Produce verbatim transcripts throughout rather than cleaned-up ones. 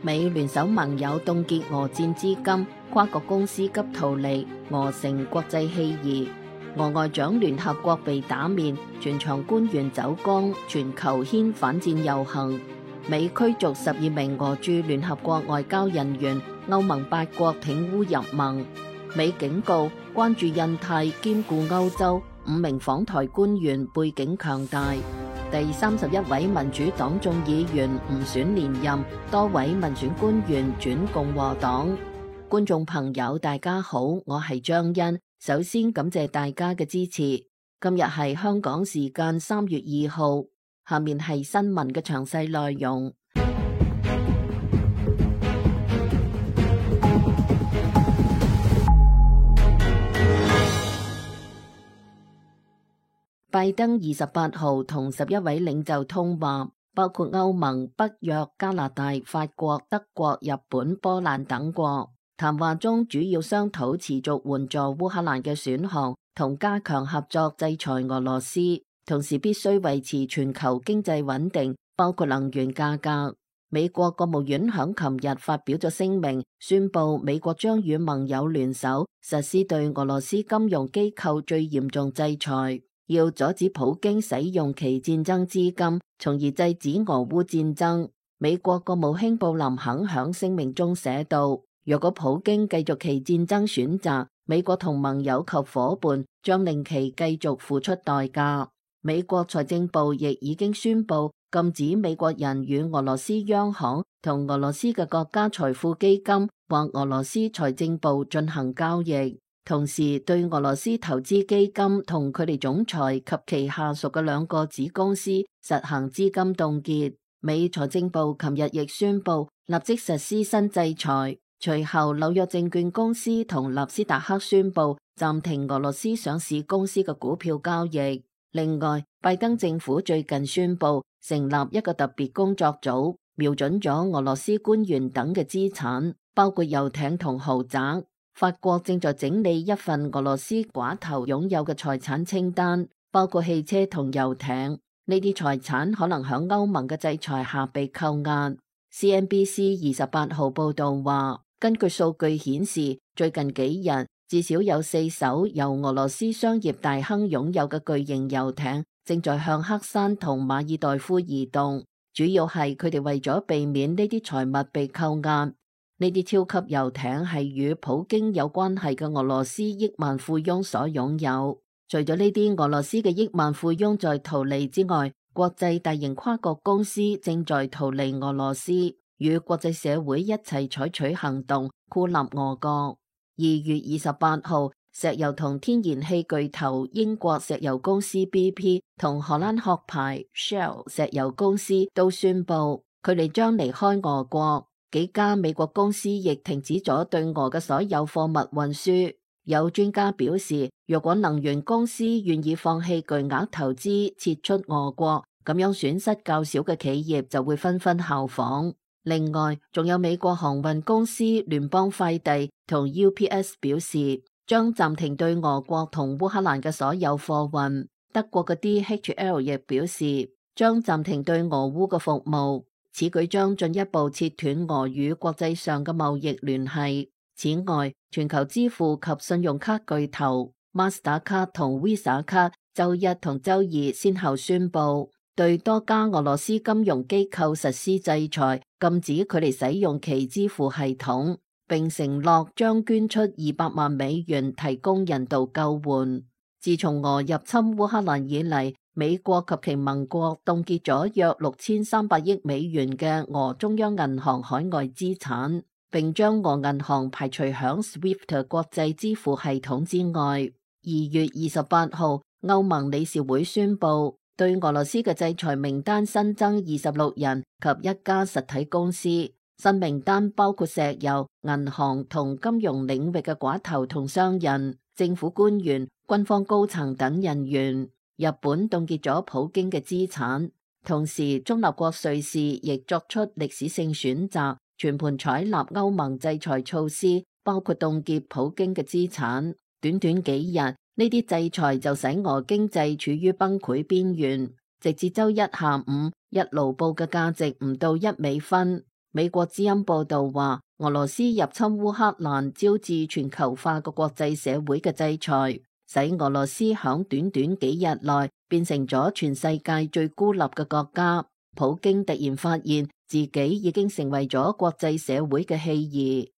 美聯手盟友凍結俄戰資金，跨國公司急逃離，俄成國際棄兒。俄外長聯合國被打面，全場官員走光，全球掀反戰遊行。美驅逐十二名俄駐聯合國外交人員，歐盟八國挺烏入盟。美警告關注印太兼顧歐洲，五名訪台官員背景強大。第三十一位民主黨眾議員唔選連任，多位民選官員轉共和黨。觀眾朋友大家好，我係張欣。首先感謝大家嘅支持。今日係香港時間三月二號，下面係新聞嘅詳細內容。拜登二十八號同十一位領袖通話，包括歐盟、北約、加拿大、法國、德國、日本、波蘭等國。談話中主要商討持續援助烏克蘭嘅選項，同加強合作制裁俄羅斯，同時必須維持全球經濟穩定，包括能源價格。美國國務院響琴日發表咗聲明，宣布美國將與盟友聯手實施對俄羅斯金融機構最嚴重制裁，要阻止普京使用其戰爭資金，從而制止俄烏戰爭。美國國務卿布林肯響聲明中寫道，若果普京繼續其戰爭選擇，美國同盟友及夥伴將令其繼續付出代價。美國財政部亦已經宣布禁止美國人與俄羅斯央行同俄羅斯嘅國家財富基金或俄羅斯財政部進行交易，同時對俄羅斯投資基金同佢哋總裁及其下屬嘅兩個子公司實行資金凍結。美財政部琴日亦宣布立即實施新制裁。隨後，紐約證券公司同納斯達克宣布暫停俄羅斯上市公司嘅股票交易。另外，拜登政府最近宣布成立一個特別工作組，瞄準咗俄羅斯官員等嘅資產，包括遊艇同豪宅。法國正在整理一份俄羅斯寡頭擁有嘅財產清單，包括汽車同遊艇。呢啲財產可能響歐盟嘅制裁下被扣押。C N B C 二十八號報道話，根據數據顯示，最近幾日至少有四艘由俄羅斯商業大亨擁有嘅巨型遊艇正在向黑山同馬爾代夫移動，主要係佢哋為咗避免呢啲財物被扣押。呢啲超級遊艇係與普京有關係嘅俄羅斯億萬富翁所擁有。除咗呢啲俄羅斯嘅億萬富翁在逃離之外，國際大型跨國公司正在逃離俄羅斯，與國際社會一齊採取行動，孤立俄國。二月二十八號，石油同天然氣巨頭英國石油公司 B P 同荷蘭殼牌 Shell 石油公司都宣布佢哋將離開俄國。幾家美國公司亦停止咗對俄嘅所有貨物運輸。有專家表示，若果能源公司願意放棄巨額投資撤出俄國，咁樣損失較少嘅企業就會紛紛效仿。另外，仲有美國航運公司聯邦快遞同 U P S 表示，將暫停對俄國同烏克蘭嘅所有貨運。德國嘅 D H L 亦表示，將暫停對俄烏嘅服務。此舉將進一步切斷俄與國際上嘅貿易聯繫。此外，全球支付及信用卡巨頭 Master 卡同 Visa 卡周一同周二先後宣布對多家俄羅斯金融機構實施制裁，禁止佢哋使用其支付系統，並承諾將捐出二百萬美元提供人道救援。自從俄入侵烏克蘭以嚟，美國及其盟國凍結咗約六千三百億美元嘅俄中央銀行海外資產，並將俄銀行排除響 SWIFT 國際支付系統之外。二月二十八號，歐盟理事會宣布對俄羅斯嘅制裁名單新增二十六人及一家實體公司。新名單包括石油、銀行同金融領域嘅寡頭同商人、政府官員、軍方高層等人員。日本凍結咗普京嘅資產，同時中立國瑞士亦作出歷史性選擇，全盤採納歐盟制裁措施，包括凍結普京嘅資產。短短幾日，呢啲制裁就使俄經濟處於崩潰邊緣。直至周一下午，一盧布嘅價值唔到一美分。美國之音報道話，俄羅斯入侵烏克蘭招致全球化嘅國際社會嘅制裁，使俄羅斯響短短幾日內變成咗全世界最孤立嘅國家。普京突然發現自己已經成為咗國際社會嘅棄兒。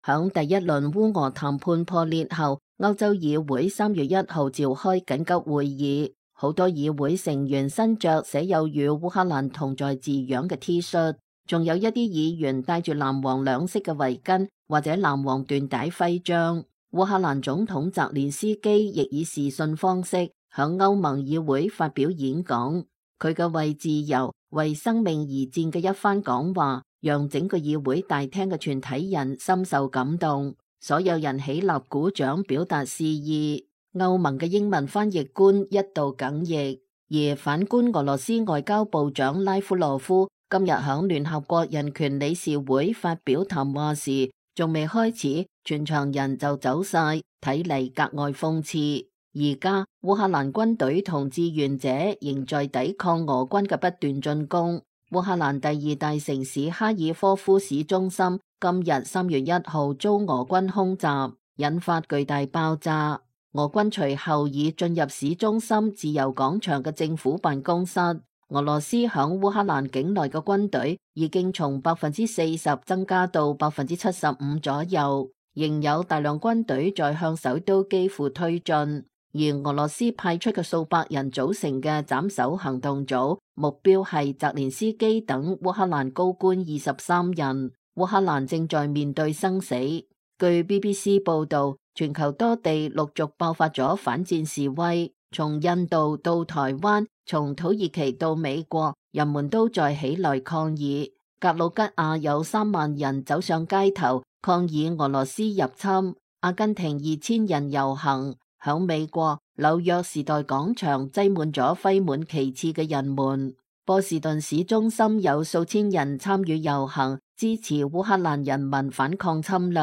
響第一輪烏俄談判破裂後，歐洲議會三月一號召開緊急會議，好多議會成員身着寫有與烏克蘭同在字樣嘅 T 恤，仲有一啲議員戴住藍黃兩色嘅圍巾或者藍黃緞帶徽章。烏克蘭總統澤連斯基亦以視訊方式響歐盟議會發表演講，佢嘅為自由、為生命而戰嘅一番講話，讓整個議會大廳嘅全體人深受感動，所有人起立鼓掌表達示意。歐盟嘅英文翻譯官一度哽咽，而反觀俄羅斯外交部長拉夫羅夫今日響聯合國人權理事會發表談話時，仲未開始，全場人就走晒，睇嚟格外諷刺。而家烏克蘭軍隊同志願者仍在抵抗俄軍嘅不斷進攻。烏克蘭第二大城市哈爾科夫市中心今日三月一號遭俄軍空襲，引發巨大爆炸。俄軍隨後已進入市中心自由廣場嘅政府辦公室。俄羅斯響烏克蘭境內嘅軍隊已經從百分之四十增加到百分之七十五左右，仍有大量軍隊在向首都基輔推進。而俄羅斯派出嘅數百人組成嘅斬首行動組，目標係澤連斯基等烏克蘭高官二十三人。烏克蘭正在面對生死。據 B B C 報道，全球多地陸續爆發咗反戰示威，從印度到台灣，從土耳其到美國，人們都在起來抗議。格魯吉亞有三萬人走上街頭抗議俄羅斯入侵，阿根廷二千人遊行。響美國紐約時代廣場擠滿咗揮滿旗幟嘅人們，波士頓市中心有數千人參與遊行，支持烏克蘭人民反抗侵略。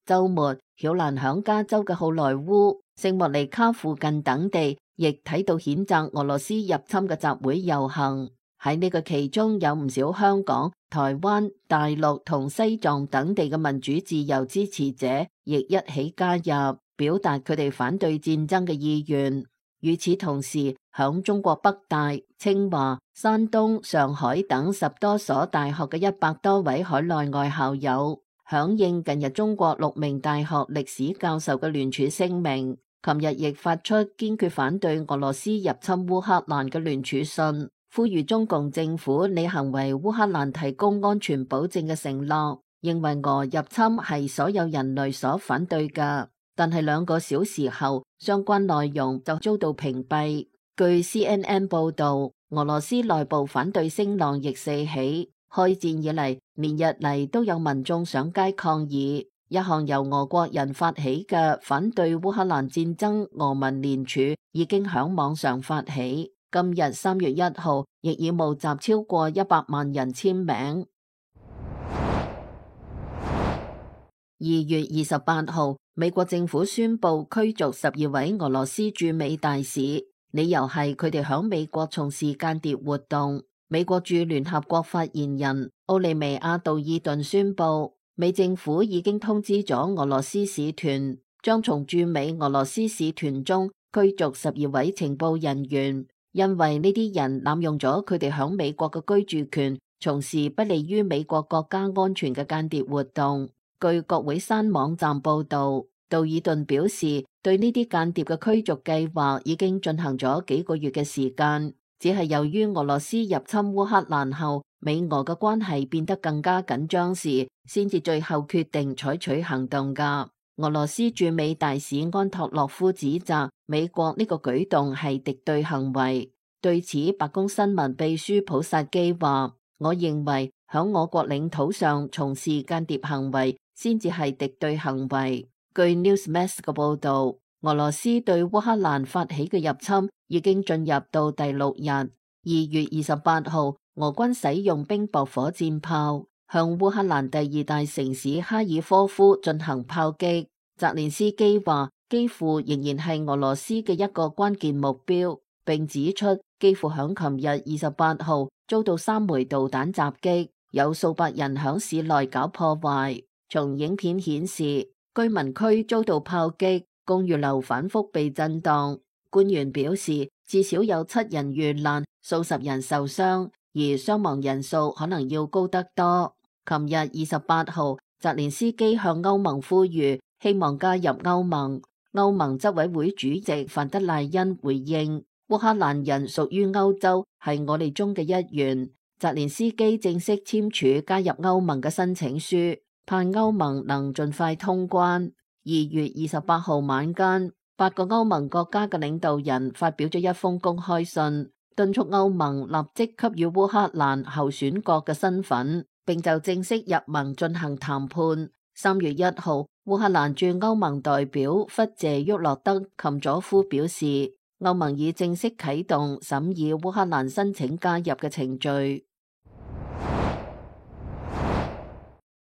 周末，曉蘭響加州嘅好萊塢、聖莫尼卡附近等地，亦睇到譴責俄羅斯入侵嘅集會遊行。喺呢個其中有唔少香港、台灣、大陸同西藏等地嘅民主自由支持者，亦一起加入，表達佢哋反對戰爭嘅意願。與此同時，響中國北大、清華、山東、上海等十多所大學嘅一百多位海內外校友，響應近日中國六名大學歷史教授嘅聯署聲明，琴日亦發出堅決反對俄羅斯入侵烏克蘭嘅聯署信，呼籲中共政府履行為烏克蘭提供安全保證嘅承諾，認為俄入侵係所有人類所反對嘅。但係兩個小時後，相關內容就遭到屏蔽。據 C N N 報道，俄羅斯內部反對聲浪亦四起。開戰以嚟，連日嚟都有民眾上街抗議。一項由俄國人發起嘅反對烏克蘭戰爭俄民聯署已經響網上發起。今日三月一號，亦已募集超過一百萬人簽名。二月二十八號，美國政府宣布驅逐十二位俄羅斯駐美大使，理由係佢哋響美國從事間諜活動。美國駐聯合國發言人奧利維亞杜爾頓宣布，美政府已經通知咗俄羅斯使團，將從駐美俄羅斯使團中驅逐十二位情報人員，因為呢啲人濫用咗佢哋響美國嘅居住權，從事不利於美國國家安全嘅間諜活動。據國會山網站報道，杜爾頓表示，對呢啲間諜嘅驅逐計劃已經進行咗幾個月嘅時間，只係由於俄羅斯入侵烏克蘭後，美俄嘅關係變得更加緊張時，先至最後決定採取行動㗎。俄羅斯駐美大使安托洛夫指責美國呢個舉動係敵對行為。對此，白宮新聞秘書普薩基話：我認為響我國領土上從事間諜行為先至係敵對行為。據 Newsmax 嘅報道，俄羅斯對烏克蘭發起嘅入侵已經進入到第六日。二月二十八號，俄軍使用冰雹火箭炮向烏克蘭第二大城市哈爾科夫進行炮擊。澤連斯基話，基輔仍然係俄羅斯嘅一個關鍵目標，並指出基輔響琴日二十八號遭到三枚導彈襲擊，有數百人響市內搞破壞。從影片顯示，居民區遭到炮擊，公寓樓反覆被震盪。官員表示，至少有七人遇難，數十人受傷，而傷亡人數可能要高得多。琴日二十八號，澤連斯基向歐盟呼籲，希望加入歐盟。歐盟執委會主席范德賴恩回應，烏克蘭人屬於歐洲，係我哋中嘅一員。澤連斯基正式簽署加入歐盟嘅申請書，盼歐盟能盡快通關。二月二十八號晚間，八個歐盟國家嘅領導人發表咗一封公開信，敦促歐盟立即給予烏克蘭候選國嘅身份，並就正式入盟進行談判。三月一號，烏克蘭駐歐盟代表弗謝沃洛德琴佐夫表示，歐盟已正式啟動審議烏克蘭申請加入嘅程序。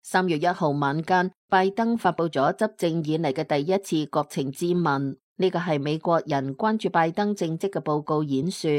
三月一號晚間，拜登發佈咗執政以嚟嘅第一次國情咨文，呢個係美國人關注拜登政績嘅報告演說。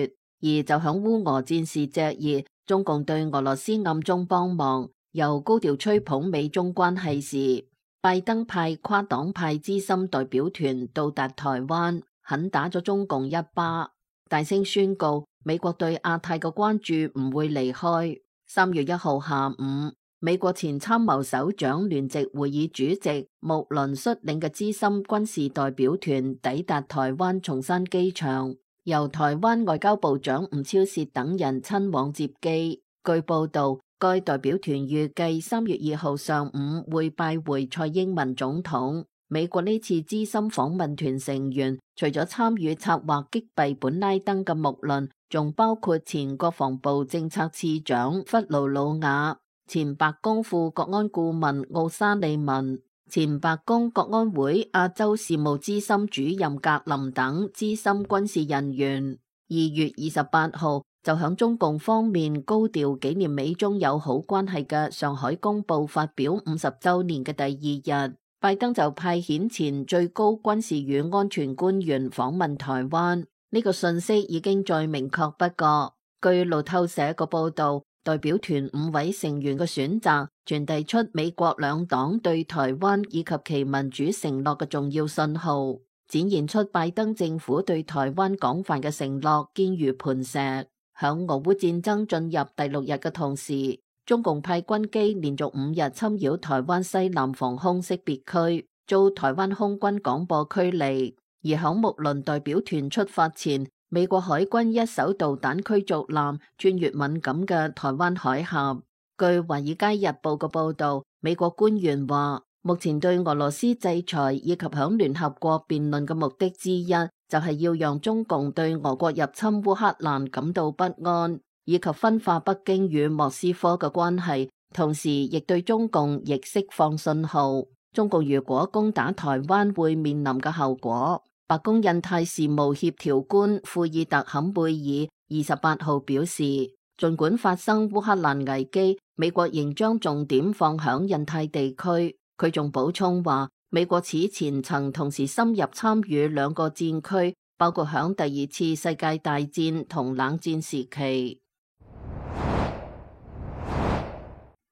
而就響烏俄戰事炙熱，中共對俄羅斯暗中幫忙，又高調吹捧美中關係時，拜登派跨黨派資深代表團到達台灣，狠打咗中共一巴，大聲宣告美國對亞太嘅關注唔會離開。三月一號下午，美國前參謀首長聯席會議主席穆倫率領嘅資深軍事代表團抵達台灣松山機場，由台灣外交部長吳釗燮等人親往接機。據報道，該代表團預計三月二號上午會拜會蔡英文總統。美國呢次資深訪問團成員，除咗參與策劃擊斃本拉登嘅穆倫，仲包括前國防部政策次長弗魯魯瓦、前白宮副國安顧問奧沙利文、前白宮國安會亞洲事務資深主任格林等資深軍事人員。二月二十八號就響中共方面高調紀念美中友好關係嘅上海公報發表五十週年嘅第二日，拜登就派遣前最高軍事與安全官員訪問台灣。呢個信息已經再明確不過。據路透社個報道，代表團五位成員嘅選擇傳遞出美國兩黨對台灣以及其民主承諾嘅重要信號，展現出拜登政府對台灣廣泛嘅承諾堅如磐石。響俄烏戰爭進入第六日嘅同時，中共派軍機連續五日侵擾台灣西南防空識別區，遭台灣空軍廣播驅離。而響睦鄰代表團出發前，美國海軍一艘導彈驅逐艦穿越敏感嘅台灣海峽。據《華爾街日報》嘅報道，美國官員話，目前對俄羅斯制裁以及響聯合國辯論嘅目的之一，就係要讓中共對俄國入侵烏克蘭感到不安，以及分化北京與莫斯科嘅關係，同時亦對中共亦釋放信號，中共如果攻打台灣會面臨嘅後果。白宮印太事務協調官庫爾特坎貝爾二十八號表示，儘管發生烏克蘭危機，美國仍將重點放響印太地區。佢仲補充話，美國此前曾同時深入參與兩個戰區，包括響第二次世界大戰同冷戰時期。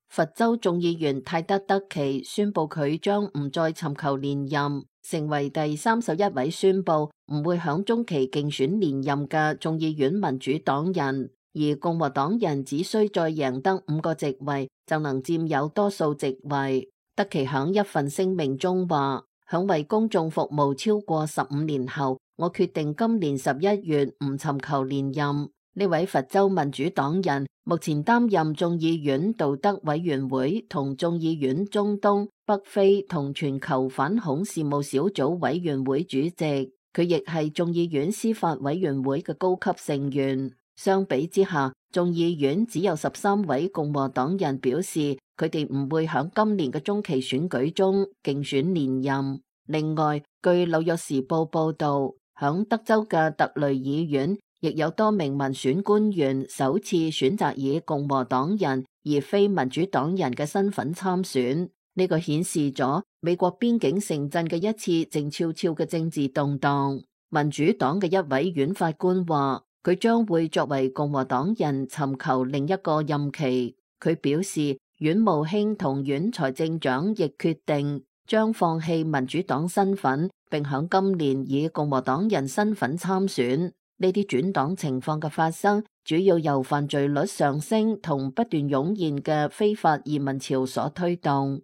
佛州眾議員泰德德奇宣布佢將唔再尋求連任，成為第三十一位宣布唔會響中期競選連任嘅眾議院民主黨人，而共和黨人只需再贏得五個席位就能佔有多數席位。德奇響一份聲明中話，響為公眾服務超過十五年後，我決定今年十一月唔尋求連任。呢位佛州民主黨人目前擔任眾議院道德委員會同眾議院中東、北非同全球反恐事務小組委員會主席，佢亦係眾議院司法委員會嘅高級成員。相比之下，眾議院只有十三位共和黨人表示佢哋唔會響今年嘅中期選舉中競選連任。另外，據紐約時報報道，響德州嘅特雷議院亦有多名民選官員首次選擇以共和黨人而非民主黨人嘅身份參選，呢個顯示咗美國邊境城鎮嘅一次靜悄悄嘅政治動盪。民主黨嘅一位院法官話，佢將會作為共和黨人尋求另一個任期。佢表示，阮慕興同阮財政長亦決定將放棄民主黨身份，並響今年以共和黨人身份參選。呢啲轉黨情況嘅發生，主要由犯罪率上升同不斷湧現嘅非法移民潮所推動。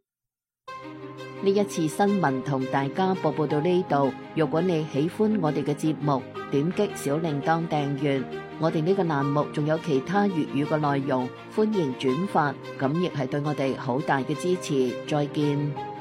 呢一次新聞同大家播報到呢度。如果你喜歡我哋嘅節目，點擊小鈴鐺訂閱。我哋呢個欄目仲有其他粵語嘅內容，歡迎轉發，咁亦係對我哋好大嘅支持。再見。